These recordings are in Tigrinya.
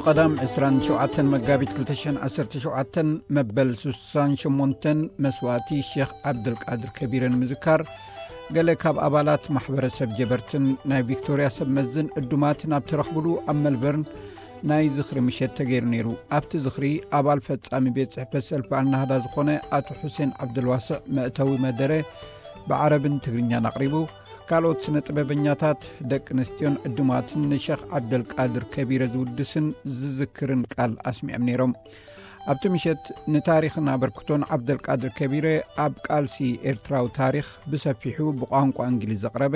ቀዳም ዕስራን ሸውዓተን መጋቢት ክልተ ሽሕን ዓሰርተ ሸውዓተን መበል ሱሳን ሸሞንተን መስዋእቲ ሼኽ ዓብደልቃድር ከቢረ ንምዝካር፣ ገለ ካብ ኣባላት ማሕበረሰብ ጀበርትን ናይ ቪክቶርያ ሰብ መዝን ዕዱማትን ኣብ ተረኽብሉ ኣብ መልበርን ናይ ዝኽሪ ምሸት ተገይሩ ነይሩ። ኣብቲ ዝኽሪ ኣባል ፈጻሚ ቤት ጽሕፈት ሰልፊ ኣልናህዳ ዝኾነ ኣቶ ሑሴን ዓብደልዋስዕ መእተዊ መደረ ብዓረብን ትግርኛን ኣቕሪቡ። ካልኦት ስነ ጥበበኛታት፣ ደቂ ኣንስትዮን ዕዱማትን ንሸኽ ዓብደልቃድር ከቢረ ዝውድስን ዝዝክርን ቃል ኣስሚዖም ነይሮም። ኣብቲ ምሸት ንታሪኽን ኣበርክቶን ዓብደልቃድር ከቢረ ኣብ ቃልሲ ኤርትራዊ ታሪኽ ብሰፊሑ ብቋንቋ እንግሊዝ ዘቕረበ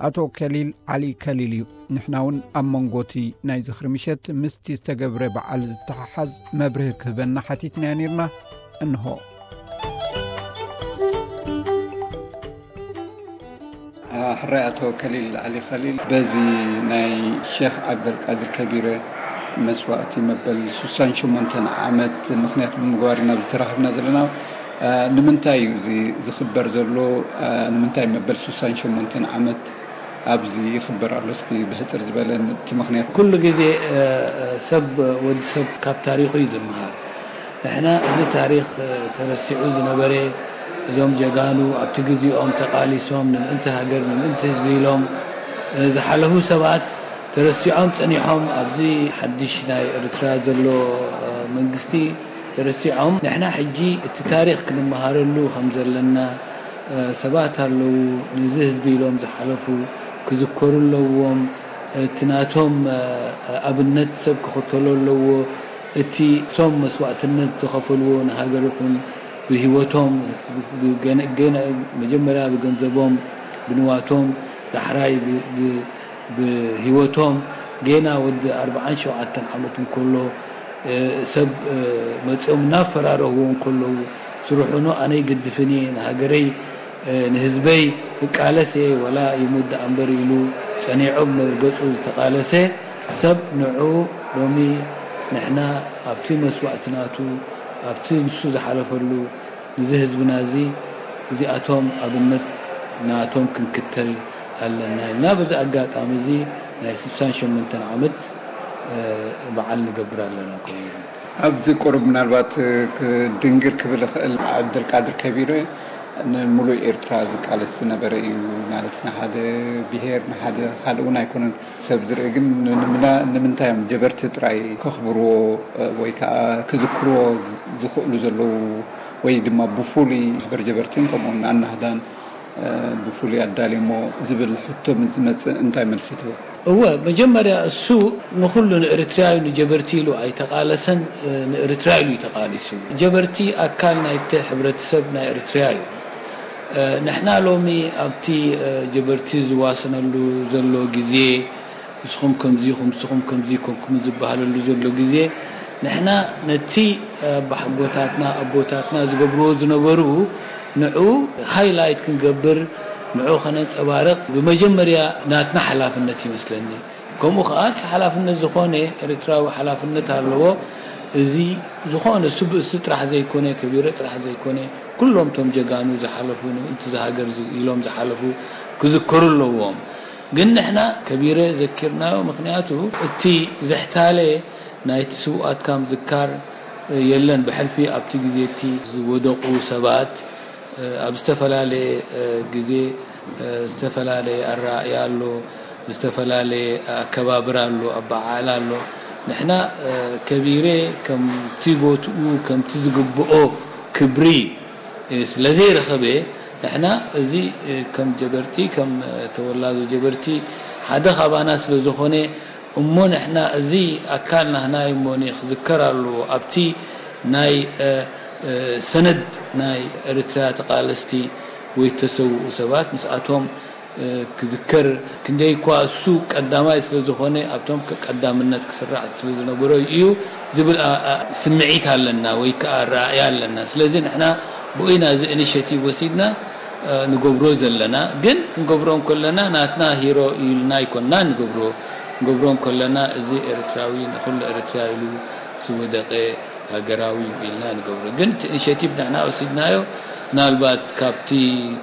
ኣቶ ከሊል ዓሊ ከሊል እዩ። ንሕና እውን ኣብ መንጎቲ ናይ ዝኽሪ ምሸት ምስቲ ዝተገብረ በዓል ዝተሓሓዝ መብርሂ ክህበና ሓቲትናዮ ነይርና። እንሆ። ሕራይ ኣቶ ከሊል ዓሊ ከሊል፣ በዚ ናይ ሼኽ ዓብደልቃድር ከቢረ መስዋእቲ መበል ሱሳን ሸሞንተን ዓመት ምኽንያት ብምግባር ኢና ዝተራኸብና ዘለና። ንምንታይ እዩ እዚ ዝኽበር ዘሎ? ንምንታይ መበል ሱሳን ሸሞንተን ዓመት ኣብዚ ይኽበር ኣሎ? እስኪ ብሕጽር ዝበለ እቲ ምኽንያት። ኩሉ ግዜ፣ እ፣ እ፣ ሰብ፣ ወዲ ሰብ ካብ ታሪኹ እዩ ዝመሃር። ንሕና እዚ ታሪኽ፣ እ፣ ተረሲዑ ዝነበረ፣ እዞም ጀጋኑ ኣብቲ ግዜኦም ተቓሊሶም ንምእንቲ ሃገር፣ ንምእንቲ ህዝቢ ኢሎም፣ እ፣ ዝሓለፉ ሰባት ተረሲዖም ጸኒሖም ኣብዚ ሓድሽ ናይ ኤርትራ ዘሎ፣ እ፣ መንግስቲ ተረሲዖም። ንሕና ሕጂ እቲ ታሪኽ ክንመሃረሉ ከም ዘለና፣ እ፣ ሰባት ኣለዉ፣ ነዚ ህዝቢ ኢሎም ዝሓለፉ ክዝከሩ ኣለዎም። እቲ ናቶም፣ እ፣ ኣብነት ሰብ ክኽተሎ ኣለዎ። እቲ ሶም መስዋእትነት ዝኸፈልዎ ንሃገር ይኹን ብህይወቶም፣ ብገነ-፣ ገነ-፣ መጀመርያ ብገንዘቦም፣ ብንዋቶም፣ ዳሕራይ ብ-፣ ብ-፣ ብህይወቶም፣ ጌና ወዲ ኣርባዓን ሸውዓተን ዓመት እንከሎ፣ እ፣ ሰብ፣ እ፣ መጺኦም እናፈራረህዎ እንከለዉ፣ ስርሑኖ ኣነ ይግድፍን እየ፣ ንሃገረይ፣ እ፣ ንህዝበይ ክቃለስ እየ፣ ወላ ይሙት ደኣ እምበር ኢሉ ጸኒዑ ብመርገጹ ዝተቓለሰ ሰብ፣ ንዑ ሎሚ ንሕና ኣብቲ መስዋእቲ ናቱ፣ ኣብቲ ንሱ ዝሓለፈሉ፣ እዚ ህዝብና እዚ፣ እዚኣቶም ኣብነት ናቶም ክንክተል ኣለና ኢልና፣ በዚ ኣጋጣሚ እዚ ናይ ስሳን ሸሞንተን ዓመት፣ እ፣ በዓል ንገብር ኣለና። ኮይኑ ኣብዚ ቁሩብ ምናልባት ክድንግር ክብል እኽእል፣ ዓብደልቃድር ከቢረ ንምሉእ ኤርትራ ዝቃለስ ዝነበረ እዩ። ማለት ንሓደ ብሄር፣ ንሓደ ካልእ እውን ኣይኮነን። ሰብ ዝርኢ ግን ንምና-፣ ንምንታይ እዮም ጀበርቲ ጥራይ ከኽብርዎ ወይ ከዓ ክዝክርዎ ዝኽእሉ ዘለዉ? ወይ ድማ ብፍሉይ ማሕበር ጀበርትን ከምኡውን ኣናህዳን፣ እ፣ ብፍሉይ ኣዳልዩሞ ዝብል ሕቶ ምስ ዝመጽእ እንታይ መልሲ ትህቡ? እወ፣ መጀመርያ እሱ ንኹሉ ንኤርትራዩ ንጀበርቲ ኢሉ ኣይተቓለሰን፣ እ፣ ንኤርትራ ኢሉ እዩ ተቓሊሱ። ጀበርቲ ኣካል ናይቲ ሕብረተሰብ ናይ ኤርትራ እዩ። እ፣ ንሕና ሎሚ ኣብቲ፣ እ፣ ጀበርቲ ዝዋሰነሉ ዘሎ ግዜ፣ ንስኹም ከምዚ ኢኹም፣ ንስኹም ከምዚ ኮንኩም ዝበሃለሉ ዘሎ ግዜ፣ ንሕና ነቲ ኣባሓጎታትና፣ ኣቦታትና ዝገብርዎ ዝነበሩ፣ ንዑ ሃይላይት ክንገብር፣ ንዑ ከነንጸባርቕ፣ ብመጀመርያ ናትና ሓላፍነት ይመስለኒ። ከምኡ ከኣ፣ እቲ ሓላፍነት ዝኾነ፣ ኤርትራዊ ሓላፍነት ኣለዎ። እዚ ዝኾነ ስብእሲ ጥራሕ ዘይኮነ፣ ከቢረ ጥራሕ ዘይኮነ፣ ኩሎም ቶም ጀጋኑ ዝሓለፉ፣ ንምእንቲ ዝሃገር ዝ-፣ ኢሎም ዝሓለፉ ክዝከሩ ኣለዎም። ግን ንሕና ከቢረ ዘኪርናዮ፣ ምኽንያቱ እቲ ዘሕታለ ናይቲ ስውኣትካ ምዝካር የለን። ብሕልፊ ኣብቲ ግዜ እቲ ዝወደቑ ሰባት፣ ኣብ ዝተፈላለየ ግዜ ዝተፈላለየ ኣረኣእያ ኣሎ፣ ዝተፈላለየ ኣከባብራ ኣሎ፣ ኣበዓዕላ ኣሎ። ንሕና ከቢረ ከምቲ ቦትኡ፣ ከምቲ ዝግብኦ ክብሪ ስለ ዘይረኸበ፣ ንሕና እዚ ከም ጀበርቲ፣ ከም ተወላዶ ጀበርቲ ሓደ ካባና ስለ ዝኾነ፣ እሞ ንሕና እዚ ኣካል ናህና እዩ እሞ ክዝከር ኣለዎ። ኣብቲ ናይ፣ እ፣ እ፣ ሰነድ ናይ ኤርትራ ተቃለስቲ ወይ ተሰውኡ ሰባት ምስኣቶም፣ እ፣ ክዝከር፣ ክንደይ እኳ እሱ ቀዳማይ ስለ ዝኾነ ኣብቶም ቀዳምነት ክስራዕ ስለ ዝነበሮ እዩ ዝብል ኣ-፣ ኣ-፣ ስምዒት ኣለና ወይ ከዓ ራእይ ኣለና። ስለዚ ንሕና ብኡ ኢና እዚ ኢኒሼቲቭ ወሲድና፣ እ፣ ንገብሮ ዘለና። ግን ክንገብሮ እንከለና ናትና ሂሮ ኢልና ኣይኮንና ንገብሮ። ክንገብሮ እንከለና እዚ ኤርትራዊ ንኹሉ ኤርትራ ኢሉ ዝወደቀ ሃገራዊ እዩ ኢልና ንገብሮ። ግን እቲ ኢኒሼቲቭ ንሕና ወሲድናዮ፣ ምናልባት ካብቲ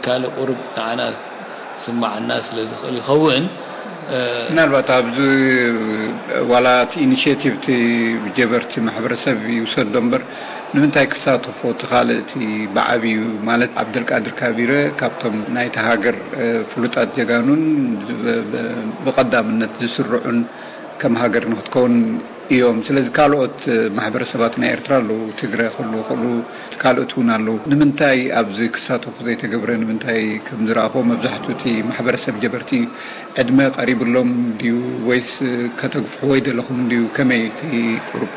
ካልእ ቁሩብ ንዓና ስማዓና ስለ ዝኽእል ይኸውን። ምናልባት ኣብዚ ዋላ እቲ ኢኒሽቲቭ እቲ ጀበርቲ ማሕበረሰብ ይውሰዶ እምበር ንምንታይ ክሳተፎ እቲ ካልእ እቲ ብዓብዩ ማለት ዓብደልቃድር ካቢረ ካብቶም ናይቲ ሃገር ፍሉጣት ጀጋኑን ብቐዳምነት ዝስርዑን ከም ሃገር ንክትከውን እዮም። ስለዚ ካልኦት ማሕበረሰባት ናይ ኤርትራ ኣለዉ፣ ትግረ ክህሉ ክእሉ ካልኦት እውን ኣለዉ። ንምንታይ ኣብዚ ክሳተፉ ዘይተገብረ? ንምንታይ ከም ዝረኣኹዎ መብዛሕትኡ እቲ ማሕበረሰብ ጀበርቲ ዕድመ ቀሪብሎም ድዩ ወይስ ከተግፍሕዎ ይደለኹም ድዩ? ከመይ እቲ ቁሩብ?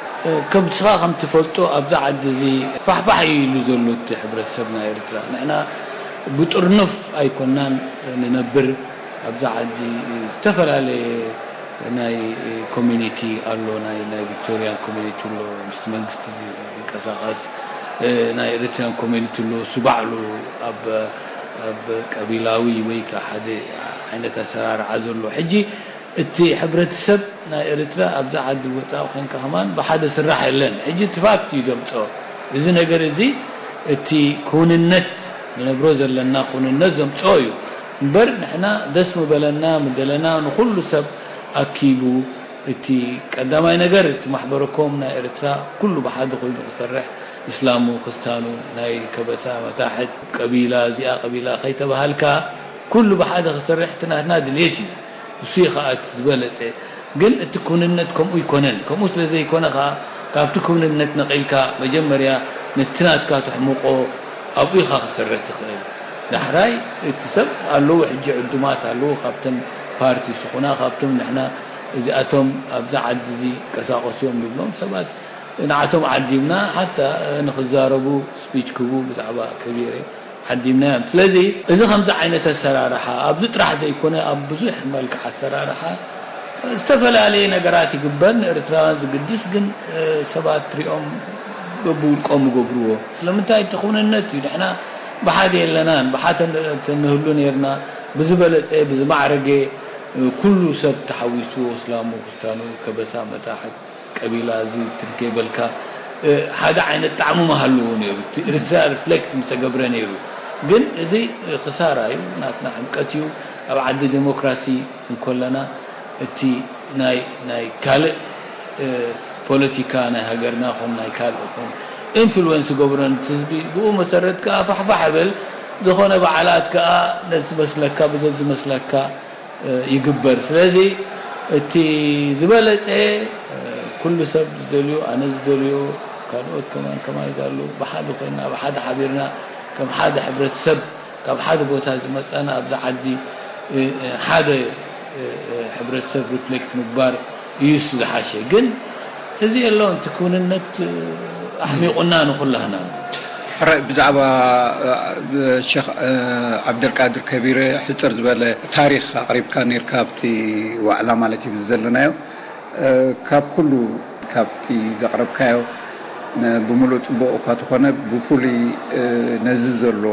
ከም ንስኻ ከም ትፈልጦ ኣብዚ ዓዲ እዚ ፋሕፋሕ እዩ ኢሉ ዘሎ እቲ ሕብረተሰብ ናይ ኤርትራ። ንሕና ብጥርኑፍ ኣይኮናን ንነብር። ኣብዚ ዓዲ ዝተፈላለየ ናይ ኮሚኒቲ ኣሎ፣ ናይ ናይ ቪክቶሪያን ኮሚኒቲ ኣሎ፣ ምስቲ መንግስቲ ዚ- ዝንቀሳቐስ ናይ ኤሪትሪያን ኮሚኒቲ ኣሎ። እሱ ባዕሉ ኣብ ኣብ ቀቢላዊ ወይ ከዓ ሓደ ዓይነት ኣሰራርዓ ዘሎ። ሕጂ እቲ ሕብረተሰብ ናይ ኤርትራ ኣብዛ ዓዲ ወፃኢ ኮንካ ከማን ብሓደ ስራሕ የለን። ሕጂ እቲ ፋክት እዩ ዘምፅኦ። እዚ ነገር እዚ እቲ ክውንነት ንነብሮ ዘለና ክውንነት ዘምፅኦ እዩ እምበር ንሕና ደስ ምበለና ምደለና ንኩሉ ሰብ ኣኪቡ እቲ ቀዳማይ ነገር እቲ ማሕበረኮም ናይ ኤርትራ ኩሉ ብሓደ ኮይኑ ክሰርሕ እስላሙ ክስታኑ ናይ ከበሳ መታሕት ቀቢላ እዚኣ ቀቢላ ከይተባሃልካ ኩሉ ብሓደ ክሰርሕ እቲ ናትና ድልየት እዩ። እሱ እዩ ከዓ እቲ ዝበለፀ። ግን እቲ ክውንነት ከምኡ ይኮነን። ከምኡ ስለ ዘይኮነ ከዓ ካብቲ ክውንነት ነቒልካ መጀመርያ ነቲ ናትካ ተሕምቆ ኣብኡ ኢኻ ክሰርሕ ትኽእል። ዳሕራይ እቲ ሰብ ኣለዉ ሕጂ ዕዱማት ኣለዉ ካብተን ፓርቲ ስኹና ካብቶም ንሕና እዚኣቶም ኣብዛ ዓዲ እዚ ይንቀሳቐሱ እዮም ንብሎም ሰባት ንዓቶም ዓዲምና ሓታ ንክዛረቡ ስፒች ክቡ ብዛዕባ ከቢረ ዓዲምናዮም። ስለዚ እዚ ከምዚ ዓይነት ኣሰራርሓ ኣብዚ ጥራሕ ዘይኮነ ኣብ ብዙሕ መልክዕ ኣሰራርሓ ዝተፈላለየ ነገራት ይግበር ንኤርትራውያን ዝግድስ ግን ሰባት ትሪኦም በብውልቆም ይገብርዎ። ስለምንታይ እቲ ክውንነት እዩ ንሕና ብሓደ የለናን ብሓተ ንህሉ ነርና ብዝበለፀ ብዝማዕረገ ኩሉ ሰብ ተሓዊስዎ እስላሙ ክስታኑ ከበሳ መታሕት ቀቢላ እዚ ትርከይበልካ ሓደ ዓይነት ጣዕሙ ምሃልዎ ነይሩ። እቲ ኤርትራ ሪፍሌክት ምሰገብረ ነይሩ። ግን እዚ ክሳራ እዩ፣ ናትና ሕምቀት እዩ። ኣብ ዓዲ ዴሞክራሲ እንኮለና እቲ ናይ ናይ ካልእ ፖለቲካ ናይ ሃገርና ኹን ናይ ካልእ ኹን ኢንፍሉወንስ ገብረን ህዝቢ ብኡ መሰረት ከዓ ፋሕፋሕ ብል ዝኾነ በዓላት ከዓ ነዚ መስለካ ብዘዚ መስለካ ይግበር። ስለዚ እቲ ዝበለፀ ኩሉ ሰብ ዝደልዮ ኣነ ዝደልዮ ካልኦት ከማን ከማይ ዛሉ ብሓደ ኮይና ብሓደ ሓቢርና ከም ሓደ ሕብረተሰብ ካብ ሓደ ቦታ ዝመፀና ኣብዚ ዓዲ ሓደ ሕብረተሰብ ሪፍሌክት ምግባር እዩስ ዝሓሸ። ግን እዚ የለውን እቲ ክውንነት ኣሕሚቑና ንኹላህና። ሕራይ ብዛዕባ ሸኽ ዓብደልቃድር ከቢረ ሕፅር ዝበለ ታሪክ ኣቅሪብካ ነርካ ኣብቲ ዋዕላ ማለት እዩ ዘለናዮ። ካብ ኩሉ ካብቲ ዘቅረብካዮ ብሙሉእ ፅቡቅ እኳ ተኾነ ብፍሉይ ነዚ ዘሎ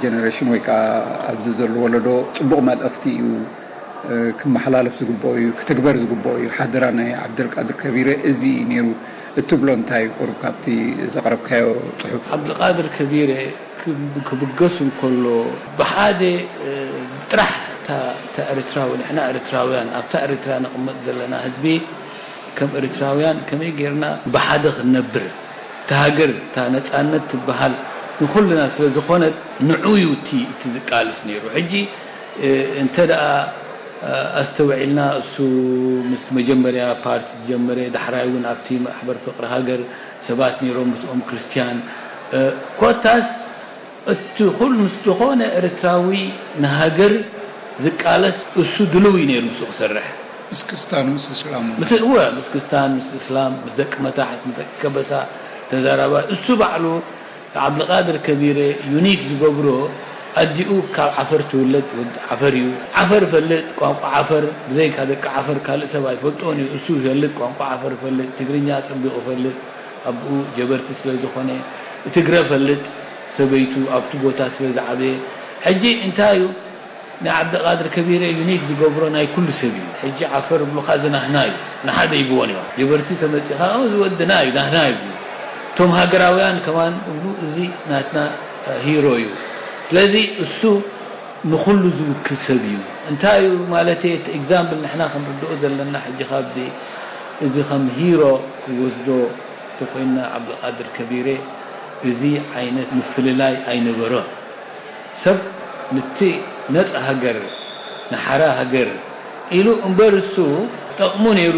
ጀነሬሽን ወይ ከዓ ኣብዚ ዘሎ ወለዶ ፅቡቅ መልእክቲ እዩ ክመሓላለፍ ዝግብኦ እዩ፣ ክትግበር ዝግብኦ እዩ። ሓደራ ናይ ዓብደልቃድር ከቢረ እዚ እዩ ነይሩ እትብሎ እንታይ እዩ? ቁሩብ ካብቲ ዘቕረብካዮ ጽሑፍ። ዓብደልቃድር ከቢረ ክብ- ክብገስ እንከሎ ብሓደ ጥራሕ እታ ኤርትራዊ ንሕና ኤርትራውያን ኣብታ ኤርትራ ንቕመጥ ዘለና ህዝቢ ከም ኤርትራውያን ከመይ ጌርና ብሓደ ክንነብር እታ ሃገር እታ ነፃነት ትበሃል ንኹልና ስለ ዝኾነት ንዑ እዩ እቲ ዝቃልስ ነይሩ። ሕጂ እንተ ደኣ ኣስተውዒልና እሱ ምስቲ መጀመርያ ፓርቲ ዝጀመረ ዳሕራይ እውን ኣብቲ ማሕበር ፍቅሪ ሃገር ሰባት ነይሮም ምስኦም ክርስትያን ኮታስ እቲ ኩሉ ምስ ዝኾነ ኤርትራዊ ንሃገር ዝቃለስ እሱ ድልው እዩ ነይሩ ምስኡ ክሰርሕ። ምስ ክስታን ምስ እስላም። ምስ እወ ምስ ክስታን ምስ እስላም ምስ ደቂ መታሕት ምስ ደቂ ከበሳ ተዛራባ እሱ ባዕሉ ዓብድልቃድር ከቢረ ዩኒክ ዝገብሮ ኣዲኡ ካብ ዓፈር ትውለድ ወዲ ዓፈር እዩ። ዓፈር ፈልጥ ቋንቋ ዓፈር ብዘይካ ደቂ ዓፈር ካልእ ሰብ ኣይፈልጦን እዩ። እሱ ይፈልጥ ቋንቋ ዓፈር ይፈልጥ ትግርኛ ኣጸቢቑ ይፈልጥ ኣቦኡ ጀበርቲ ስለ ዝኾነ ትግረ ፈልጥ ሰበይቱ ኣብቲ ቦታ ስለ ዝዓበየ ሕጂ እንታይ እዩ ናይ ዓብደቃድር ከቢረ ዩኒክ ዝገብሮ ናይ ኩሉ ሰብ እዩ። ሕጂ ዓፈር ብሉኻ ዝናህና እዩ ንሓደ ይብዎን እዮም ጀበርቲ ተመጺኻ እዚ ወድና እዩ ናህና ይብሉ እቶም ሃገራውያን ከማን እብሉ እዚ ናትና ሂሮ እዩ። ስለዚ እሱ ንኹሉ ዝውክል ሰብ እዩ። እንታይ እዩ ማለት እቲ example ንሕና ክንርድኦ ዘለና ሕጂ ካብዚ፣ እዚ ከም hero ክወስዶ ተኮይና ዓብዱቃድር ከቢረ፣ እዚ ዓይነት ምፍልላይ ኣይነበሮ። ሰብ ንቲ ነፃ ሃገር፣ ንሓራ ሃገር ኢሉ እምበር እሱ ጠቕሙ ነይሩ።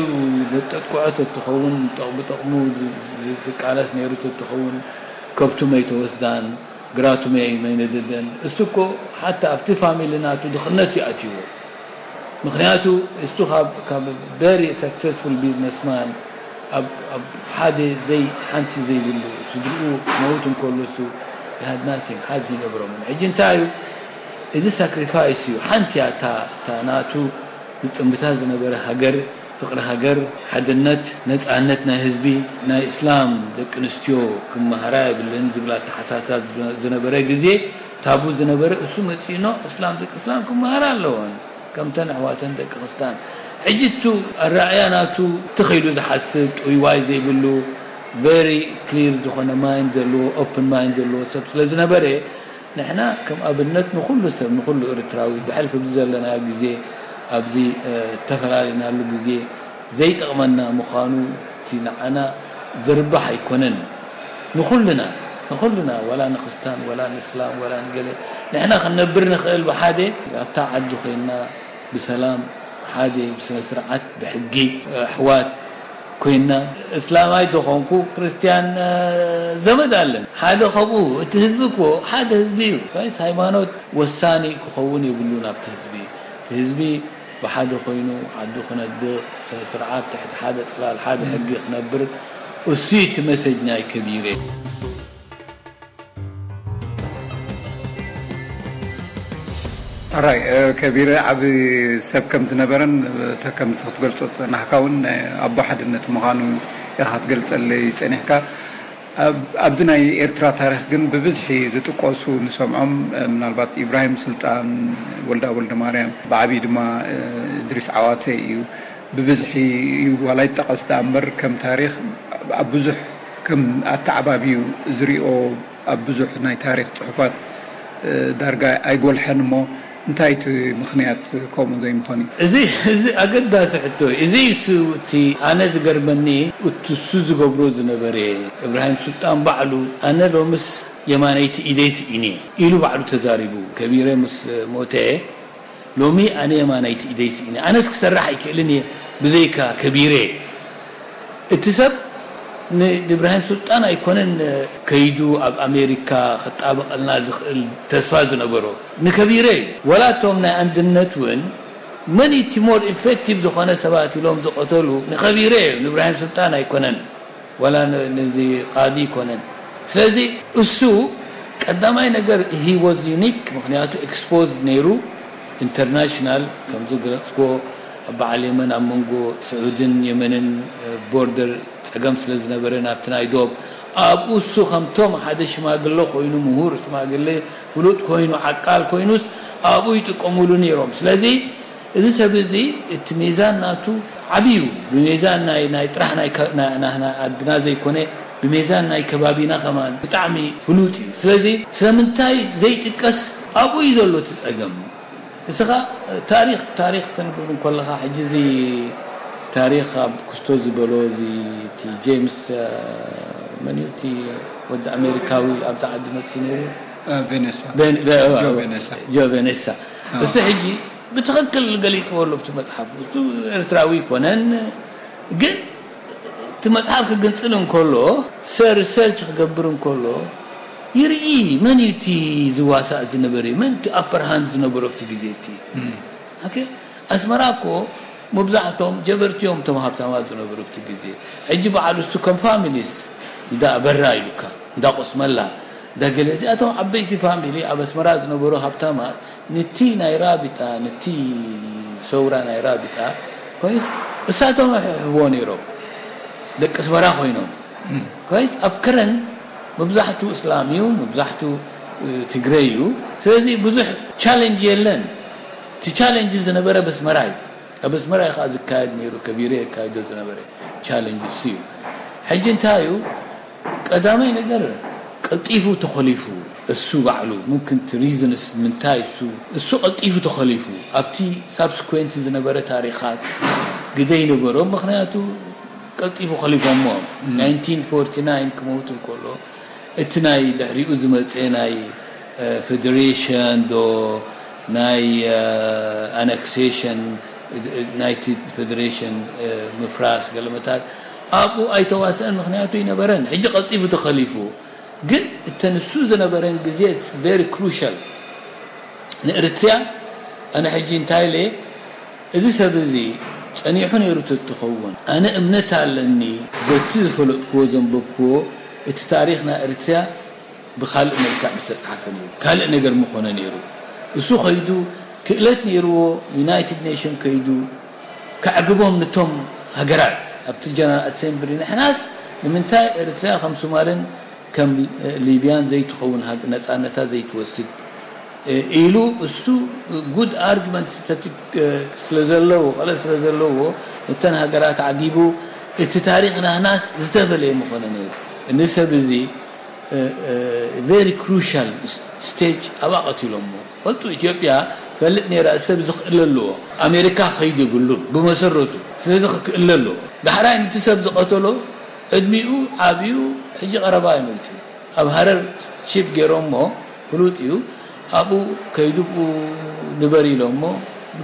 ጠጥቅዖ ተትኸውን፣ ጠቕ-፣ ብጠቕሙ ዝ-፣ ዝ-፣ ዝቃለስ ነይሩ ተትኸውን፣ ከብቱ መይተወስዳን፣ ግራቱ መይ-፣ መይነደደን። እሱ እኮ ሓታ ኣብቲ ፋሚሊ ናቱ ድኽነት እዩ ኣትይዎ። ምኽንያቱ እሱ ካብ፣ ካብ very successful businessman ኣብ፣ ኣብ ሓደ ዘይ-፣ ሓንቲ ዘይብሉ ስድርኡ መውት እንከሎ እሱ he had nothing፣ ሓንቲ ይነብሮምን። ሕጂ እንታይ እዩ? እዚ ሳክሪፋይስ እዩ። ሓንቲ እያ እታ፣ እታ ናቱ ዝጥምታ ዝነበረ ሃገር፣ ፍቕሪ ሃገር፣ ሓድነት፣ ነጻነት ናይ ህዝቢ፣ ናይ እስላም ደቂ ኣንስትዮ ክመሃራ የብለን ዝብል ኣተሓሳሳ ዝነበረ ግዜ፣ ታቡ ዝነበረ እሱ መጺእኖ እስላም ደቂ እስላም ክመሃራ ኣለወን ከምተን ኣሕዋተን ደቂ ክርስታን። ሕጂ እቱ ኣረኣእያ ናቱ ትኽ ኢሉ ዝሓስብ፣ ጥውይዋይ ዘይብሉ፣ very clear ዝኾነ ማይንድ ዘለዎ፣ ኦፕን ማይንድ ዘለዎ ሰብ ስለ ዝነበረ፣ ንሕና ከም ኣብነት ንኹሉ ሰብ፣ ንኹሉ ኤርትራዊ ብሕልፊ ኣብዚ ዘለናዮ ግዜ፣ ኣብዚ፣ እ፣ እተፈላለናሉ ግዜ ዘይጠቕመና ምዃኑ፣ እቲ ንዓና ዝርባሕ ኣይኮነን። ንኹልና፣ ንኹልና፣ ዋላ ንክስታን፣ ዋላ ንእስላም፣ ዋላ ንገለ፣ ንሕና ክንነብር ንኽእል ብሓደ፣ ኣብታ ዓዲ ኮይንና ብሰላም፣ ሓደ ብስነ ስርዓት፣ ብሕጊ፣ ኣሕዋት ኮይንና፣ እስላማይ ተኾንኩ ክርስትያን፣ እ፣ ዘመድ ኣለን። ሓደ ኸብኡ፣ እቲ ህዝቢ እኮ ሓደ ህዝቢ እዩ። ጋይስ፣ ሃይማኖት ወሳኒ ክኸውን የብሉን ኣብቲ ህዝቢ። እቲ ህዝቢ ብሓደ ኮይኑ ዓዱ ክነድቕ፣ ስነ ስርዓት ትሕቲ ሓደ ጽላል ሓደ ሕጊ ክነብር፣ እሱ እዩ እቲ መሰጅ ናይ ከቢረ። ኣራይ፣ እ፣ ከቢረ ዓቢ ሰብ ከም ዝነበረን፣ እታ ከምዚ ክትገልጾ ዝጸናሕካ እውን ናይ ኣቦ ሓድነት ምዃኑ ኢኻ ክትገልጸለይ ጸኒሕካ። ኣብ-፣ ኣብዚ ናይ ኤርትራ ታሪኽ ግን ብብዝሒ ዝጥቀሱ ንሰምዖም፣ እ፣ ምናልባት ኢብራሂም ስልጣን፣ ወልዳ ወልደማርያም፣ ብዓብዪ ድማ፣ እ፣ እድሪስ ዓዋተ እዩ። ብብዝሒ እዩ ዋላ ይጠቐስ ደኣ እምበር፣ ከም ታሪኽ ኣብ ብዙሕ ከም ኣተዓባብዩ ዝሪኦ ኣብ ብዙሕ ናይ ታሪኽ ጽሑፋት፣ እ፣ ዳርጋ ኣይጎልሐን እሞ፣ እንታይ እቲ ምኽንያት ከምኡ ዘይምዃን እዩ? እዚ፣ እዚ ኣገዳሲ ሕቶ እዩ። እዚ እሱ እቲ ኣነ ዝገርመኒ፣ እቲ እሱ ዝገብሮ ዝነበረ፣ እብራሂም ሱልጣን ባዕሉ፣ ኣነ ሎምስ የማነይቲ ኢደይ ስኢነ ኢሉ ባዕሉ ተዛሪቡ። ከቢረ ምስ ሞተ፣ ሎሚ ኣነ የማነይቲ ኢደይ ስኢነ፣ ኣነስ ክሰርሕ ኣይክእልን እየ ብዘይካ ከቢረ። እቲ ሰብ ን-፣ ንእብራሂም ሱልጣን ኣይኮነን ከይዱ ኣብ ኣሜሪካ ክጣበቐልና ዝኽእል ተስፋ ዝነበሮ፣ ንከቢረ እዩ። ወላ እቶም ናይ ኣንድነት እውን መን እቲ ሞር ኢፌክቲቭ ዝኾነ ሰባት ኢሎም ዝቐተሉ ንከቢረ እዩ፣ ንእብራሂም ሱልጣን ኣይኮነን። ወላ ን-፣ ነዚ ቃዲ ኣይኮነን። ስለዚ እሱ ቀዳማይ ነገር he was unique፣ ምኽንያቱ ኤክስፖዝድ ነይሩ ኢንተርናሽናል፣ ከምዚ ገለጽክዎ፣ ኣብ በዓል የመን፣ ኣብ መንጎ ስዑድን የመንን፣ እ፣ ቦርደር ጸገም ስለ ዝነበረ ናብቲ ናይ ዶብ፣ ኣብኡ እሱ ከምቶም ሓደ ሽማግለ ኮይኑ፣ ምሁር ሽማግለ፣ ፍሉጥ ኮይኑ፣ ዓቃል ኮይኑስ ኣብኡ ይጥቀሙሉ ነይሮም። ስለዚ እዚ ሰብ እዚ እቲ ሚዛን ናቱ ዓቢ እዩ። ብሚዛን ናይ፣ ናይ ጥራሕ ናይ ከ-፣ ናይ፣ ናይ፣ ናይ ዓድና ዘይኮነ፣ ብሚዛን ናይ ከባቢና ከማን ብጣዕሚ ፍሉጥ እዩ። ስለዚ ስለምንታይ ዘይጥቀስ ኣብኡ እዩ ዘሎ እቲ ጸገም። እስኻ ታሪኽ፣ ታሪኽ ተንብብ እንከለኻ፣ ሕጂ እዚ ታሪኽ ኣብ ክስቶ ዝበሎ እዚ እቲ ጄምስ፣ እ፣ መን እዩ እቲ ወዲ ኣሜሪካዊ ኣብዛ ዓዲ መጺኡ ነይሩ? ቬኔሳ ቬን-፣ ቬ-፣ ጆ ቬኔሳ ጆ ቬኔሳ። እሱ ሕጂ ብትኽክል ገሊጽዎ ኣሎ ኣብቲ መጽሓፍ። እሱ ኤርትራዊ ኣይኮነን፣ ግን እቲ መጽሓፍ ክግንጽል እንከሎ፣ ሰ-፣ ሪሰርች ክገብር እንከሎ ይርኢ፣ መን እዩ እቲ ዝዋሳእ ዝነበረ፣ መን እቲ ኣፐር ሃንድ ዝነበሮ ኣብቲ ግዜ እቲ። ኦኬ፣ ኣስመራ እኮ መብዛሕቶም ጀበርቲ እዮም እቶም ሃብታማት ዝነበሩ ኣብቲ ግዜ። ሕጂ በዓል እሱ ከም ፋሚሊስ እንዳ በራ ኢሉካ፣ እንዳ ቆስመላ፣ እንዳ ገለ፣ እዚኣቶም ዓበይቲ ፋሚሊ ኣብ ኣስመራ ዝነበሩ ሃብታማት፣ ንቲ ናይ ራቢጣ፣ ንቲ ሰውራ ናይ ራቢጣ ኮይንስ፣ እሳቶም ይሕብዎ ነይሮም። ደቂ ኣስመራ ኮይኖም። ኮይንስ ኣብ ከረን መብዛሕቱ እስላም እዩ፣ መብዛሕቱ፣ እ፣ ትግረ እዩ። ስለዚ ብዙሕ ቻለንጅ የለን። እቲ ቻለንጅ ዝነበረ በስመራ እዩ። ኣብ ኣስመራ እዩ ከዓ ዝካየድ ነይሩ፣ ከቢረ የካይዶ ዝነበረ ቻለንጅ እሱ እዩ። ሕጂ እንታይ እዩ? ቀዳማይ ነገር ቀልጢፉ ተኾሊፉ። እሱ ባዕሉ ሙምክን እቲ ሪዝንስ ምንታይ እሱ እሱ ቀልጢፉ ተኸሊፉ ኣብቲ ሳብስኩዌንት ዝነበረ ታሪኻት ግደ ይነበሮ። ምኽንያቱ ቀልጢፉ ከሊፎሞ ናይንቲን ፎርቲ ናይን ክመውት እንከሎ እቲ ናይ ድሕሪኡ ዝመፀ ናይ ፌደሬሽን ዶ ናይ ኣነክሴሽን ናይቲ ፌደሬሽን ምፍራስ ገለመታት ኣብኡ ኣይተዋስአን። ምኽንያቱ ይነበረን ሕጂ ቀልጢፉ ተኸሊፉ ግን እተን እሱ ዝነበረን ግዜ very crucial ንእርትርያ። ኣነ ሕጂ እንታይ ኢለ እዚ ሰብ እዚ ጸኒሑ ነይሩ ተትኸውን ኣነ እምነት ኣለኒ። በቲ ዝፈለጥክዎ ዘንበብክዎ እቲ ታሪኽ ናይ እርትርያ ብኻልእ መልክዕ ምስተጻሓፈ ነይሩ ካልእ ነገር ምኾነ ነይሩ። እሱ ኸይዱ ክእለት ነይርዎ ዩናይትድ ኔሽን ከይዱ ከዕግቦም ንቶም ሃገራት ኣብቲ ጀነራል ኣሴምብሊ ንሕናስ ንምንታይ ኤርትራ ከም ሶማልን ከም ሊብያን ዘይትኸውን ነፃነታ ዘይትወስድ ኢሉ እሱ ጉድ ኣርጊመንት ስለ ዘለዎ ቀለ ስለ ዘለዎ ነተን ሃገራት ዓጊቡ እቲ ታሪኽ ናህናስ ዝተፈለየ ምኾነ ነይሩ። ንሰብ እዚ very crucial stage ኣብኣ ቀቲሎሞ ፈልጡ ኢትዮጵያ ፈልጥ ነይራ ሰብ ዝኽእል ኣለዎ ኣሜሪካ ኸይድ የብሉን ብመሰረቱ ስለዚ ክክእል ኣለዎ ዳሕራይ ንቲ ሰብ ዝቐተሎ ዕድሚኡ ዓብዩ ሕጂ ቀረባ ይመይቱ ኣብ ሃረር ቺፕ ገይሮሞ ፍሉጥ እዩ ኣብኡ ከይዱ ንበር ኢሎሞ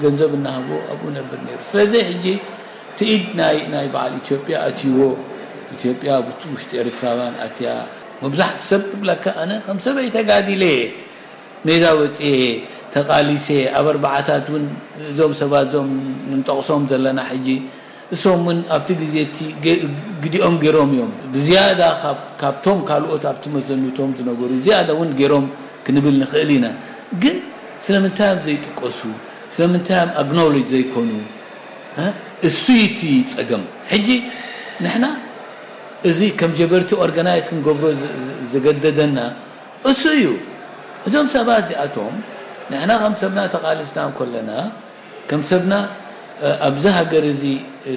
ገንዘብ እናሃቦ ኣብኡ ነብር ነይሩ ስለዚ ሕጂ ትኢድ ናይ ናይ በዓል ኢትዮጵያ ኣትይዎ ኢትዮጵያ ብቲ ውሽጢ ኤርትራውያን ኣትያ መብዛሕቱ ሰብ ክብለካ ኣነ ከም ሰበይ ተጋዲለ ሜዳ ወፅኤ ተቃሊሰ ኣብ ኣርባዓታት እውን እዞም ሰባት እዞም ንጠቕሶም ዘለና ሕጂ እሶም እውን ኣብቲ ግዜ እቲ ግዲኦም ገይሮም እዮም ብዝያዳ ካብቶም ካልኦት ኣብቲ መዘኑቶም ዝነበሩ ዝያዳ እውን ገይሮም ክንብል ንኽእል ኢና ግን ስለምንታይ እዮም ዘይጥቀሱ ስለምንታይ እዮም ኣግኖሎጅ ዘይኮኑ እሱ እቲ ፀገም ሕጂ ንሕና እዚ ከም ጀበርቲ ኦርጋናይዝ ክንገብሮ ዘገደደና እሱ እዩ እዞም ሰባት እዚኣቶም ንሕና ከም ሰብና ተቃልስና እንኮለና ከም ሰብና ኣብዚ ሃገር እዚ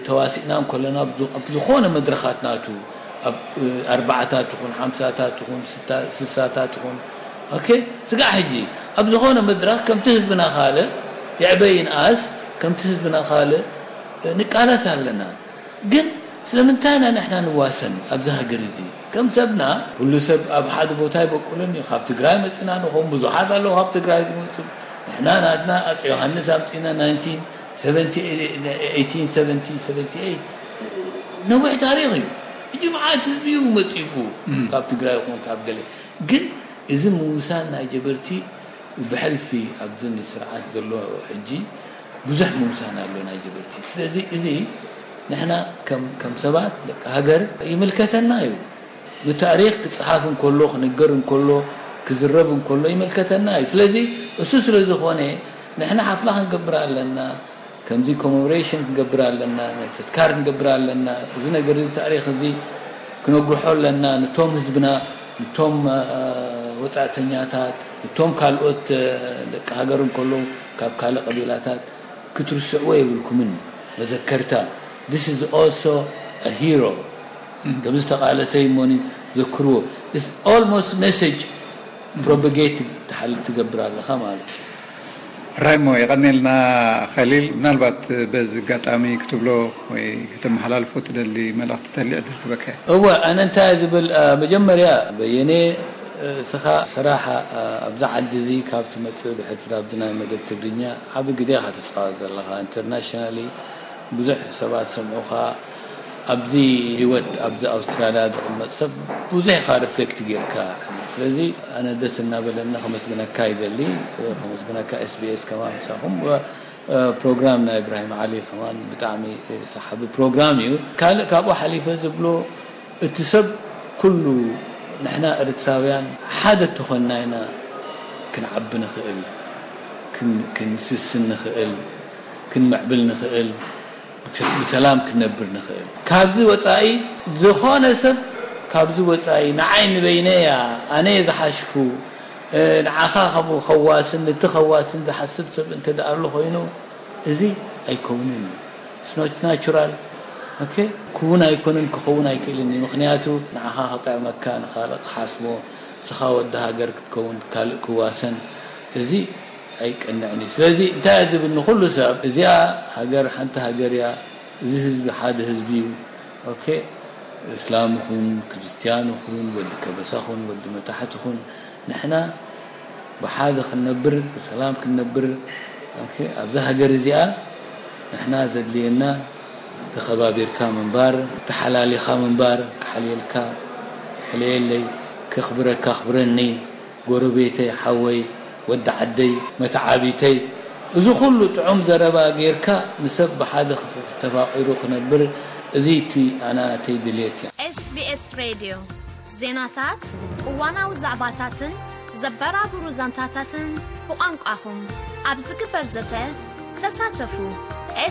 ተዋሲእና እንኮለና ኣብ ዝኾነ መድረኻት ናቱ ኣብ ኣርባዓታት ይኹን ሓምሳታት ይኹን ስሳታት ይኹን ኦኬ ስጋዕ ሕጂ ኣብ ዝኾነ መድረኽ ከምቲ ህዝብና ካልእ ይዕበ ይንኣስ ከምቲ ህዝብና ካልእ ንቃለስ ኣለና ግን ስለምንታይ ኢና ንሕና ንዋሰን ኣብዚ ሃገር እዚ ከም ሰብና ኩሉ ሰብ ኣብ ሓደ ቦታ ይበቁልን እዩ ካብ ትግራይ መፅና ንኾም ብዙሓት ኣለዉ ካብ ትግራይ ዝመፁ ንሕና ናትና ኣፀ ዮሃንስ ኣምፅና 1978 ነዊሕ ታሪክ እዩ እጂ መዓት ህዝቢ እዩ መፂኡ ካብ ትግራይ ይኹን ካብ ገለ ግን እዚ ምውሳን ናይ ጀበርቲ ብሕልፊ ኣብዚ ስርዓት ዘሎ ሕጂ ብዙሕ ምውሳን ኣሎ ናይ ጀበርቲ ስለዚ እዚ ንሕና ከም ሰባት ደቂ ሃገር ይምልከተና እዩ ብታሪክ ክፅሓፍ እንከሎ ክንገር እንከሎ ክዝረብ እንከሎ ይምልከተና እዩ ስለዚ እሱ ስለ ዝኾነ ንሕና ሓፍላ ክንገብር ኣለና ከምዚ ኮሜሞሬሽን ክንገብር ኣለና ናይ ተስካር ክንገብር ኣለና እዚ ነገር እዚ ታሪክ እዚ ክነጉርሖ ኣለና ንቶም ህዝብና ንቶም ወፃእተኛታት ንቶም ካልኦት ደቂ ሃገር እንከለዉ ካብ ካልእ ቀቢላታት ክትርስዕዎ የብልኩምን መዘከርታ this is also a hero ከም ዝተቃለሰ ይሞኒ ዘክርዎ almost message propagate ትሓልፍ ትገብር ኣለኻ ማለት እዩ ራይሞ የቐኔልና ኸሊል ምናልባት በዚ ኣጋጣሚ ክትብሎ ወይ ከተመሓላልፎ ትደሊ መልእኽቲ ተሊ ዕድል ክበካ እወ ኣነ እንታይ ዝብል መጀመርያ በየኔ እስኻ ሰራሕ ኣብዚ ዓዲ እዚ ካብ ትመፅእ ብሕልፊ ኣብዚ ናይ መደብ ትግርኛ ዓቢ ግደ ኢኻ ትፃወት ዘለኻ ኢንተርናሽናሊ ብዙሕ ሰባት ሰምዑኻ ኣብዚ ህይወት ኣብዚ ኣውስትራልያ ዝቕመጥ ሰብ ብዙሕ ኢኻ ሪፍሌክት ጌርካ ስለዚ ኣነ ደስ እናበለኒ ከመስግነካ ይደሊ ከመስግነካ ኤስቢኤስ ከማን ምሳኹም ፕሮግራም ናይ እብራሂም ዓሊ ከማን ብጣዕሚ ሰሓቢ ፕሮግራም እዩ ካልእ ካብኡ ሓሊፈ ዝብሎ እቲ ሰብ ኩሉ ንሕና ኤርትራውያን ሓደ ተኾንና ኢና ክንዓቢ ንኽእል ክንስስን ንኽእል ክንምዕብል ንኽእል ብሰላም ክንነብር ንኽእል። ካብዚ ወጻኢ ዝኾነ ሰብ ካብዚ ወጻኢ ንዓይ ንበይነያ ኣነ እየ ዝሓሽኩ ንዓኻ ከምኡ ከዋስን ነቲ ከዋስን ዝሓስብ ሰብ እንተ ደኣ ኣሎ ኮይኑ እዚ ኣይከውንን እዩ። It's not natural. Okay? ክውን ኣይኮነን ክኸውን ኣይክእልን እዩ። ምኽንያቱ ንዓኻ ክጥዕመካ ንኻልእ ክሓስቦ ንስኻ ወዲ ሃገር ክትከውን፣ ካልእ ክዋሰን፣ እዚ ኣይቀንዕን እዩ። ስለዚ እንታይ እየ ዝብል ንኹሉ ሰብ፣ እዚኣ ሃገር ሓንቲ ሃገር እያ፣ እዚ ህዝቢ ሓደ ህዝቢ እዩ። ኦኬ፣ እስላም ኹን፣ ክርስትያን ኹን፣ ወዲ ከበሳ ኹን፣ ወዲ መታሕት ኹን፣ ንሕና ብሓደ ክንነብር፣ ብሰላም ክንነብር፣ ኦኬ፣ ኣብዛ ሃገር እዚኣ ንሕና ዘድልየና ተኸባቢርካ ምንባር፣ ተሓላሊኻ ምንባር፣ ክሓልየልካ፣ ሕለየለይ፣ ከኽብረካ፣ ኣኽብረኒ፣ ጎረቤተይ፣ ሓወይ፣ ወዲ ዓደይ፣ መተዓቢተይ፣ እዚ ኩሉ ጥዑም ዘረባ ጌርካ ንሰብ ብሓደ ክፍ-፣ ተፋቒሩ ክነብር፣ እዚ እቲ ኣና ናተይ ድልየት እያ። SBS ሬድዮ ዜናታት፣ እዋናዊ ዛዕባታትን ዘበራብሩ ዛንታታትን ብቋንቋኹም ኣብ ዝግበር ዘተ ተሳተፉ።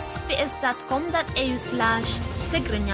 sbs.com.au/ትግርኛ